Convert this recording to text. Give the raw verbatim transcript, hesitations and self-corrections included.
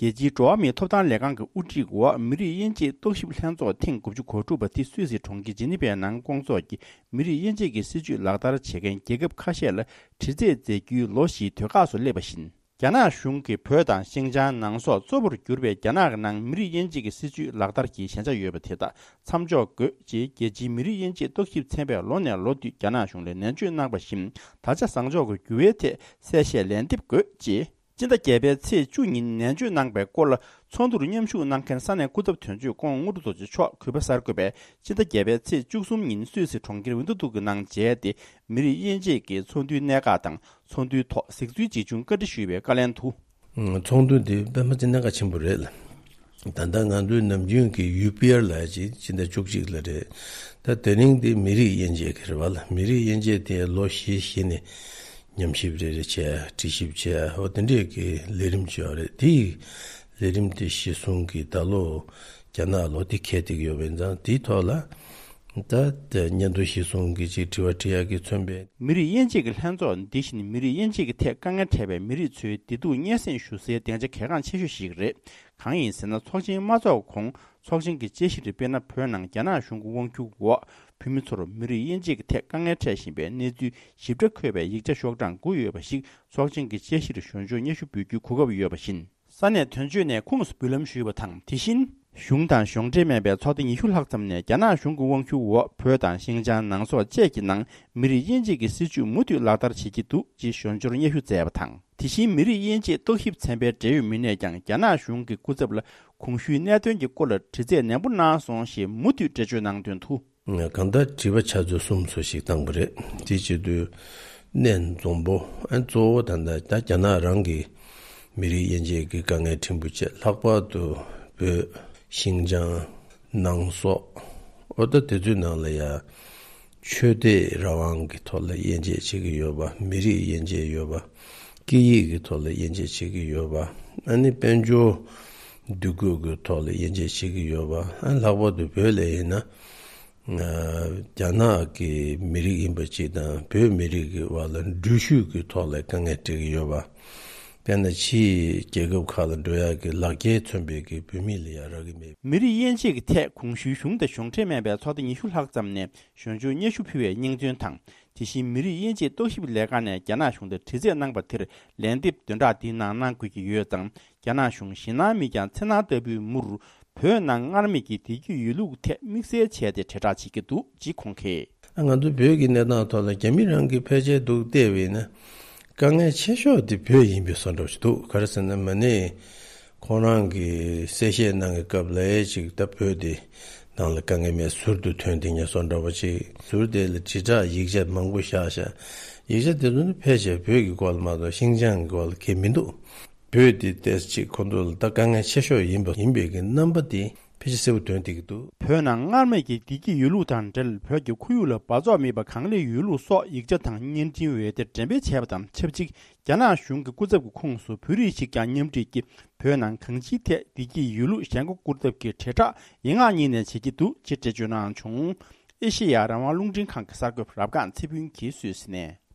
རྒྱལ་སྤྱིའི་འགྲོ་བ་མིའི་ཐོབ་ཐང་ལས་ཁང་གི་དབུ་ཁྲིད་འོག་མི་རིགས་དབྱེ་འབྱེད་རྟོག་ཞིབ་ལྷན་ཚོགས་ཐེངས་དགུ་བཅུ་གོ་དྲུག་པ་དེ་སུད་སི་གྲོང་ཁྱེར་ཇི་ནི་ཝའི་ནང་བསྐོང་ཚོགས་ཀྱིས། མི་རིགས་དབྱེ་འབྱེད་ཀྱི་སྲིད་བྱུས་ལག་བསྟར་བྱེད་མཁན་རྒྱལ་ཁབ་ཁ་ཤས་ལ་དྲི་རྩད་མཛད་རྒྱུའི་ལོ་བཞིའི་དུས་བཀག་སུ་སླེབས་པ་བཞིན། རྒྱ་ནག་གཞུང་གིས་བོད་དང་ཤིང་ཅང་ནང་སོག་གཙོ་བོར་གྱུར་པའི་རྒྱ་ནག་གི་ནང་མི་རིགས་དབྱེ་འབྱེད་ཀྱི་སྲིད་བྱུས་ལག་བསྟར་གྱི་ཞན་ཆ་ཡོད་པ་དེ་དག་མཚམས་འཇོག་དགོས་ཅེས་རྒྱལ་སྤྱིའི་མི་རིགས་དབྱེ་འབྱེད་རྟོག་ཞིབ་ཚན་པས་ལོ་ནས་ལོ་བསྟུད་རྒྱ་ནག་གཞུང་ལ་ནན་བརྗོད་གནང་བ་བཞིན། ད་ཆ་བཟང་ཕྱོགས་ཀྱི་འགྱུར་བའི་ཐད་གསལ་བཤད་ལན་འདེབས་དགོས་ཅེས། སྤྱི་ཟླ་བརྒྱད་པའི་ཚེས་བཅུ་ཉིན་ནན་བརྗོད་གནང་པའི་སྐོར་ལ། ཚོགས་འདུར་མཉམ་ཞུགས་གནང་མཁན་ས་གནས་སྐུ་ཚབ་དོན་གཅོད་ཀོང་དངོས་གྲུབ་རྡོ་རྗེ་མཆོག་གུས་པ་གསར་འགོད་པས་སྤྱི་ཟླ་བརྒྱད་པའི་ཚེས་བཅུ་གསུམ་ཉིན་སུད་སི་གྲོང་ཁྱེར་ཝིན་ཏུ་ཏུག་གི་ནང་མཇལ་ཏེ། མི་རིགས་དབྱེ་འབྱེད་ཀྱི་ཚོགས་འདུའི་གནད་འགག་དང་། ཚོགས་འདུའི་ཐོག་གཟིགས་ཚུལ་ཇི་བྱུང་བཀའ་འདྲི་ཞུས་པའི་བཀའ་ལན་དུ། ཚོགས་འདུ་འདི་དཔེ་མ་ཚད་གནད་འགག་ཆེན་པོ་རེད་ལ། ད་ལྟ་ང་ཚོའི་ནམ་རྒྱུན་གྱི་ཡུ་པི་ཨར་ལབ་ཡ་ཅིག་སྤྱི་ཟླ་བཅུ་གཅིག་ལ་རེད། ད་དེ་རིང་འདི་མི་རིགས་དབྱེ་འབྱེད་ཀྱི་རེད་བ་ལ། མི་རིགས་དབྱེ་འབྱེད་དེ་ལོ་བཞི་བཞི་ནས་ཉམས་ཞིབ་རེ་རེ་བྱས། དྲི་ཞིབ་བྱས། འོ་དེ་འདྲས་ཀྱི་ལས་རིམ་བྱས་པ་རེད། དེ་ཡི་ལས་རིམ་དེ་གཞི་བཟུང་གིས་ད་ལོ་རྒྱ་ནག་ལོ་དེ་འཁེལ་བསྡད་ཀྱི་ཡོད་པ་ཡིན་ཙང་། དེའི་ཐོག་ལ་ད་དེ་སྙན་ཐོ་གཞི་བཟུང་གིས་ཅིག་དྲི་བ་དྲི་ཡག་གི་མཚོན་པའི། མི་རིགས་དབྱེ་འབྱེད་ཀྱི་ལྷན་ཚོགས་འདི་བཞིན་མི་རིགས་དབྱེ་འབྱེད་ཀྱི་ཐད་དཀའ་ངལ་འཕྲད་པའི་མི་རིགས་ཚོའི་བདེ་སྡུག་སྙན་སེང་ཞུ་སའི་སྡིངས་ཆ་གལ་འགངས་ཆེ་ཤོས་ཤིག་རེད། གང་ཡིན་ཟེར་ན། ཚོགས་ཆེན་མ་འཚོགས་གོང་ཚོགས་ཆེན་གྱི་དཔྱད་གཞིར། དཔེར་ན། བོད་ནང་རྒྱ་ནག་གཞུང་གི་དབང་སྒྱུར་འོག་བོད་མི་ཚོར་མི་རིགས་དབྱེ་འབྱེད་ཀྱི་ཐད་དཀའ་ངལ་འཕྲད་བཞིན་པའི་གནས་ཚུལ་ཞིབ་ཕྲ་འཁོད་པའི་ཡིག་ཆ་ཤོག་གྲངས་དགུ་ཡོད་པ་ཞིག་ཚོགས་ཆེན་གྱི་དཔྱད་གཞིར་ཞུ་སྦྱོར་སྙན་ཞུ་འབུལ་རྒྱུའི་གོ་སྐབས་ཡོད་པ་བཞིན། ས་གནས་དོན་གཅོད་ནས་ཁུངས་སུ་འབུལ་ལམ་ཞུས་པ་དང་། དེ་བཞིན། གཞུང་དང་གཞུང་འབྲེལ་མིན་པའི་ཚོགས་སྡེ་ཉི་ཤུ་ལྷག་ཙམ་ནས་རྒྱ་ནག་གཞུང་གི་དབང་སྒྱུར་འོག་བོད་དང་ཤིང་ཅང་ནང་སོག་བཅས་ཀྱི་ནང་མི་རིགས་དབྱེ་འབྱེད་ཀྱི་སྲིད་བྱུས་མུ་མཐུད་ལག་བསྟར་བྱེད་ཀྱི་འདུག་ཅེས་ཞུ་སྦྱོར་སྙན་ཞུ་མཛད་པ་དང་། དེ་བཞིན་མི་རིགས་དབྱེ་འབྱེད་རྟོག་ཞིབ་ཚན་པའི་འབྲེལ་ཡོད་མི་སྣས་ཀྱང་རྒྱ་ནག་གཞུང་གི་སྐུ་ཚབ་ལ་གོང་ཞུས་གནད་དོན་གྱི་སྐོར་ལ་དྲི་རྩད་ནན་པོ་གནང་སོང་ཞེས་མུ་མཐུད་འགྲེལ་བརྗོད་གནང་དོན་དུ། གང་ལྟར་དྲི་བ་ཆ་ཚང་གསུམ་ཙམ་ཞིག་བཏང་པ་རེད། དེ་བྱེད་དུས་གནད་འཛོམས་པོ། ཨ། གཙོ་བོ་ད་ལྟ་ད་རྒྱ་ནག་རང་གི་མི་རིགས་དབྱེ་འབྱེད་ཀྱི་དཀའ་ངལ་ཕྲན་བུ་བཅས། ལྷག་པར་དུ་བོད། ཤིང་ཅང་། ནང་སོག་འོ་ད་དེ་ཚོའི་ནང་ལ་ཡ་ཆོས་དད་རང་དབང་གི་ཐོག་ལ་དབྱེ་འབྱེད་བྱེད་ཀྱི་ཡོད་པ། མི་རིགས་དབྱེ་འབྱེད་ཡོད་པ། སྐད་ཡིག་གི་ཐོག་ལ་དབྱེ་འབྱེད་བྱེད་ཀྱི་ཡོད་པ། ཨ་ནི་དཔལ་འབྱོར་འདུ་འགོད་ཀྱི་ཐོག་ལ་དབྱེ་འབྱེད་བྱེད་ཀྱི་ཡོད་པ། ཨ། ལྷག་པར་དུ་བོད་ལ་ཡིན་ན། ཨ། རྒྱ་ནག་གི་མི་རིགས་ཡིན་པ་ཅིག་དང་བོད་མི་རིགས་ཀྱི་བར་ལ་འགྲུལ་བཞུད་ཀྱི་ཐོག་ལ་དཀའ་ངལ་འཕྲད་ཀྱི་ཡོད་པ། དཔེར་ན་ཕྱིའི་རྒྱལ་ཁབ་ཁག་ལ་འགྲོ་ཡག་གི་ལག་འཁྱེར་མཚོན་པའི་གི་བོད་མི་ལ་ཡ་རག་གི་མེད། མི་རིགས་དབྱེ་འབྱེད་ཀྱི་ཐད་གོང་ཞུས་གཞུང་དང་གཞུང་འབྲེལ་མིན་པའི་ཚོགས་སྡེ་ཉི་ཤུ་ལྷག་ཙམ་ནས་ཞུ་སྦྱོར་སྙན་ཞུ་ཕུལ་བའི་སྙིང་དོན་དང་། དེ་བཞིན་མི་རིགས་དབྱེ་འབྱེད་རྟོག་ཞིབ་ལས་ཁང་ནས་རྒྱ་ནག་གཞུང་ལ་དྲི་རྩད་གནང་པ་དེར་ལན་འདེབས་བདུན་ཕྲག་འདིའི་ནང་གནང་དགོས་ཀྱི་ཡོད་ཙང་། རྒྱ་ནག་གཞུང་ཞེད་སྣང་མེད་ཀྱང་འཚེར་སྣང་ལྟ་བུའི་མུར། བོད་ནང་སྔར་མེད་ཀྱི་བདེ་སྐྱིད་ཡོད་ལུགས་ཐད་དམིགས་བསལ་བྱས་ཏེ་དྲིལ་བསྒྲགས་བྱེད་ཀྱི་འདུག་ཅེས་ཁོང་གིས། ང་ཚོ་བོད་ཀྱི་གནས་སྟངས་ཐོག་ལ་རྒྱ་མི་རང་གི་ཕལ་ཆེར་འདུག་བལྟས་པ་ཡིན་ན། དཀའ་ངལ་ཆེ་ཤོས་དེ་བོད་ཡིན་པའི་བཟོ་འདྲ་ཞིག་འདུག་ག་རེ་ཟེར་ན། མ་ནས་ཁོང་རང་གིས་གསལ་བཤད་གནང་གི་སྐབས་ལ་ཅིག་ད་བོད་དེ་ནང་ལ་དཀའ་ངལ་མེད། ཟུར་དུ་ཐོན་བསྡད་མཁན་བཟོ་འདྲ་བ་ཅིག་ཟུར་དེ་ལ་དྲིལ་བསྒྲགས་ཡིག་ཆ་མང་པོ་བཞག་བཞག་ཡིག་ཆ་དེ་ཚོ་ནི་ཕལ་ཆེར་བོད་ཀྱི་སྐོར་ལ་མ་གཏོགས་ཤིང་ཅང་གི་སྐོར་ལ་གང་ཡང་མི་འདུག་བོད་འདི་ཏོག་ཙམ་ཅིག་ཁོ་ཚོ་ལ་ད་དཀའ་ངལ་ཆེ་ཤོས་ཡིན་པ་ཡིན་པའི་གི་རྣམ་པ་དེ་ཕལ་ཆེར་གསལ་པོ་སྟོན་བསྡད་ཀྱི་འདུག་བོད་ནང་སྔར་མེད་ཀྱི་བདེ་སྐྱིད་ཡོད་ལུགས་དང་འབྲེལ། བོད་ཀྱི་ཁོར་ཡུག་ལ་འབག་བཙོག་མེད་པ་གང་ལེགས་ཡོད་ལུགས་སོགས་ཡིག་ཆ་དང་བརྙན་འཕྲིན་འོད་སྡེར་འགྲེམས་སྤེལ་བྱས་པ་དང་ཆབས་ཅིག་རྒྱ་ནག་གཞུང་གི་སྐུ་ཚབ་ཀྱི་ཁོངས་སུ་བོད་རིགས་ཤིག་ཀྱང་མཉམ་འཁྲིད་ཀྱིས། བོད་ནང་གང་ཅིའི་ཐད་བདེ་སྐྱིད་ཡོད་ལུགས་ཞེན་ཁོག་བསྐུར་ཐབས་ཀྱི་དྲིལ་བསྒྲགས་ཡན་ལག་གཉིས་ནས་བྱེད་ཀྱི་འདུག་ཅེས་འགྲེལ་བརྗོད་གནང་བྱུང་། ཨེ་ཤེ་ཡ་རང་དབང་རླུང་འཕྲིན་ཁང་གི་གསར་འགོད་པ་རབ་སྒང་ཚེ་ཕུན་གྱིས་སུད་སི་ནས།